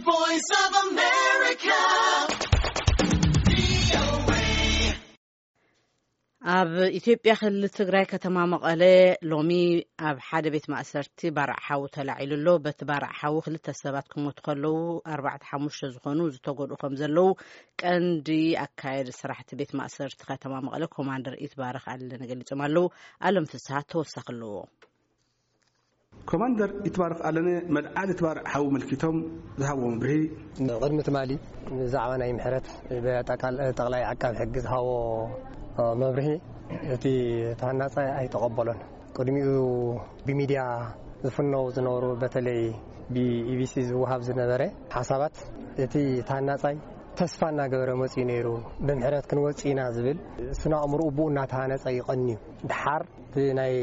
Voice of America. ኣብ ኢትዮጵያ ክልል ትግራይ ከተማ መቐለ ሎሚ ኣብ ሓደ ቤት ማእሰርቲ ባርዕ ሓዊ ተላዒሉ ኣሎ። በቲ ባርዕ ሓዊ ክልተ ሰባት ክሞቱ ከለዉ፣ ኣርባዕተ ሓሙሽተ ዝኾኑ ዝተጎድኡ ከም ዘለዉ ቀንዲ ኣካየዲ ስራሕቲ ቤት ማእሰርቲ ከተማ መቐለ ኮማንደር ኢትባረክ ኣለነ ገሊጾም ኣለዉ። ኣለም ፍስሃ ተወሳኺ ኣለዎ። ኮማንደር ይትባረክ ኣለነ መልዓሊ እቲ ባርዕ ሓዊ መልኪቶም ዝሃብዎ መብርሂ፣ ቅድሚ ትማሊ ብዛዕባ ናይ ምሕረት ብጠቃል-፣ ጠቕላይ ዓቃቢ ሕጊ ዝሃቦ መብርሂ እቲ ተሃናጻይ ኣይተቐበሎን። ቅድሚኡ ብሚድያ ዝፍነው ዝነበሩ፣ በተለይ ብኢቢሲ ዝወሃብ ዝነበረ ሓሳባት፣ እቲ ተሃናጻይ ተስፋ እናገበረ መጺኡ ነይሩ። ብምሕረት ክንወጽእ ኢና ዝብል ስነ ኣእምሮኡ ብኡ እናተሃነጸ ይቐንዩ። ድሓር እቲ ናይ፣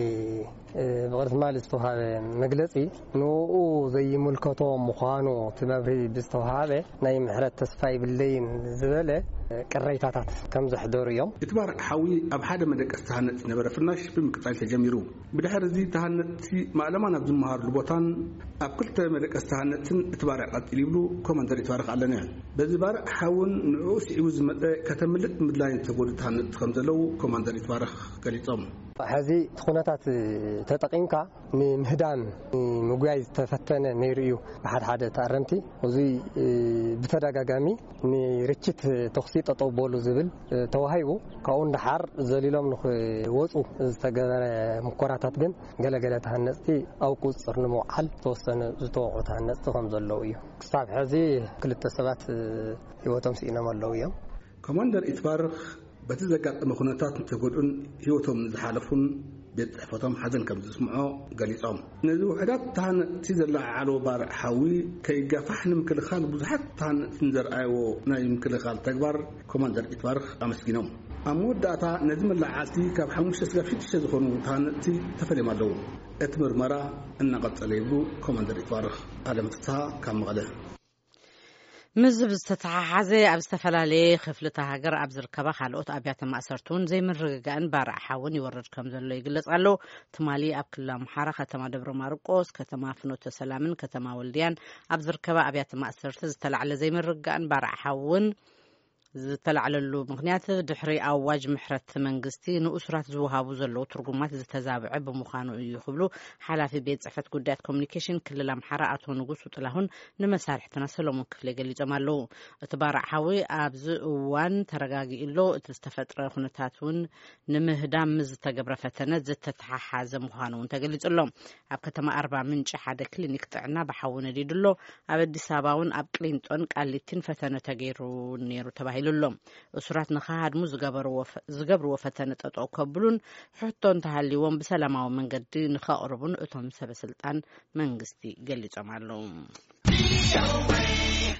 እ፣ ብቕድሚ ትማሊ ዝተውሃበ መግለጺ ንኡ ዘይምልከቶ ምዃኑ እቲ መብርሂ ብዝተውሃበ ናይ ምሕረት ተስፋ ይብለይን ዝበለ ቅሬታታት ከም ዘሕደሩ እዮም። እቲ ባርዕ ሓዊ ኣብ ሓደ መደቀሲ ተሃነጽቲ ዝነበረ ፍናሽ ብምቅጻል ተጀሚሩ። ብድሕሪ እዚ ተሃነጽቲ ማእለማ ናብ ዝመሃርሉ ቦታን ኣብ ክልተ መደቀሲ ተሃነጽትን እቲ ባርዕ ቀጺሉ ይብሉ ኮማንደር ይትባረክ ኣለነ። በዚ ባርዕ ሓውን ንዕኡ ስዒቡ ዝመጸ ከተምልጥ ምድላይን ዝተጎዱ ተሃነጽቲ ከም ዘለዉ ኮማንደር ይትባረክ ገሊጾም። ሕዚ እቲ ኩነታት ተጠቒምካ ንምህዳም ንምጉያይ ዝተፈተነ ነይሩ እዩ። ብሓደ ሓደ ተኣረምቲ እዚ ብተደጋጋሚ ንርችት ተኹሲ ጠጠው በሉ ዝብል ተዋሂቡ፣ ካብኡ ንደሓር ዘሊሎም ንኽወፁ ዝተገበረ ምኮራታት ግን ገለገለ ተሃነፅቲ ኣብ ቁፅፅር ንምውዓል ዝተወሰኑ ዝተወቕዑ ተሃነፅቲ ከም ዘለዉ እዩ። ክሳብ ሕዚ ክልተ ሰባት ህይወቶም ስኢኖም ኣለዉ እዮም። ኮማንደር ኢትባርክ በቲ ዘጋጠመ ኩነታት ንተጎድኡን ህይወቶም ንዝሓለፉን ቤት ጽሕፈቶም ሓዘን ከም ዝስምዖ ገሊጾም፣ ነዚ ውሑዳት ተሃነፅቲ ዘለዓዓሎ ባርዕ ሓዊ ከይጋፋሕ ንምክልኻል ብዙሓት ተሃነፅቲ ንዘርኣይዎ ናይ ምክልኻል ተግባር ኮማንደር ኢትባርክ ኣመስጊኖም። ኣብ መወዳእታ ነዚ መለዓዓልቲ ካብ ሓሙሽተ ስጋብ ሽዱሽተ ዝኾኑ ተሃነፅቲ ተፈልዮም ኣለዉ። እቲ ምርመራ እናቐጸለ ይብሉ ኮማንደር ኢትባርክ። ኣለም ፍስሃ ካብ መቐለ። ምስዚ ብዝተተሓሓዘ ኣብ ዝተፈላለየ ክፍልታ ሃገር ኣብ ዝርከባ ካልኦት ኣብያተ ማእሰርቲ እውን ዘይምርግጋእን ባርዕ ሓውን ይወርድ ከም ዘሎ ይግለጽ ኣሎ። ትማሊ ኣብ ክልል ኣምሓራ ከተማ ደብረ ማርቆስ፣ ከተማ ፍኖተ ሰላምን ከተማ ወልድያን ኣብ ዝርከባ ኣብያተ ማእሰርቲ ዝተላዕለ ዘይምርግጋእን ባርዕ ሓውን ዝተላዕለሉ ምኽንያት ድሕሪ ኣዋጅ ምሕረት መንግስቲ ንእሱራት ዝወሃቡ ዘለዉ ትርጉማት ዝተዛብዐ ብምዃኑ እዩ ክብሉ ሓላፊ ቤት ጽሕፈት ጉዳያት ኮሚኒኬሽን ክልል ኣምሓራ ኣቶ ንጉሱ ጥላሁን ንመሳርሕትና ሰሎሞን ክፍለ ገሊጾም ኣለዉ። እቲ ባርዕ ሓዊ ኣብዚ እዋን ተረጋጊኡ ኣሎ። እቲ ዝተፈጥረ ኩነታት እውን ንምህዳም ምስ ዝተገብረ ፈተነ ዝተተሓሓዘ ምዃኑ እውን ተገሊጹ ኣሎ። ኣብ ከተማ ኣርባ ምንጭ ሓደ ክሊኒክ ጥዕና ብሓዊ ነዲዱ ኣሎ። ኣብ ኣዲስ ኣበባ እውን ኣብ ቅሊንጦን ቃሊቲን ፈተነ ተገይሩ ነይሩ ተባሂሉ ኣሎ። እሱራት ንኸሃድሙ ዝገበርዎ ፈ-፣ ዝገብርዎ ፈተነ ጠጠው ከብሉን ሕቶ እንተሃልይዎም ብሰላማዊ መንገዲ ንኸቕርቡን እቶም ሰበ ስልጣን መንግስቲ ገሊጾም ኣለዉ።